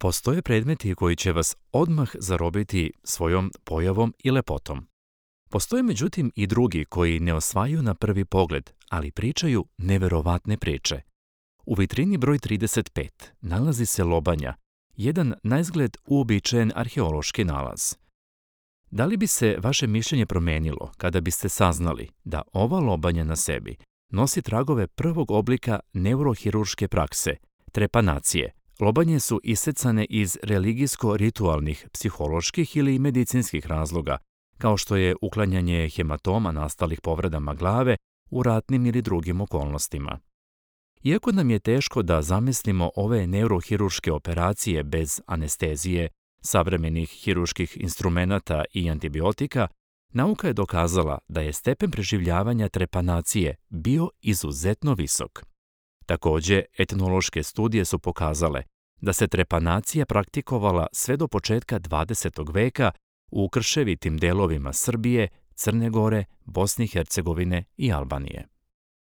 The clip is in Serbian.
Postoje predmeti koji će vas odmah zarobiti svojom pojavom i lepotom. Postoje međutim i drugi koji ne osvajaju na prvi pogled, ali pričaju neverovatne priče. U vitrini broj 35 nalazi se lobanja, jedan naizgled uobičajen arheološki nalaz. Da li bi se vaše mišljenje promenilo kada biste saznali da ova lobanja na sebi nosi tragove prvog oblika neurohirurške prakse, trepanacije? Lobanje su isecane iz religijsko-ritualnih, psiholoških ili medicinskih razloga, kao što je uklanjanje hematoma nastalih povredama glave u ratnim ili drugim okolnostima. Iako nam je teško da zamislimo ove neurohirurške operacije bez anestezije, savremenih hirurških instrumenata i antibiotika, nauka je dokazala da je stepen preživljavanja trepanacije bio izuzetno visok. Takođe, etnološke studije su pokazale da se trepanacija praktikovala sve do početka 20. veka u krševitim delovima Srbije, Crne Gore, Bosne i Hercegovine i Albanije.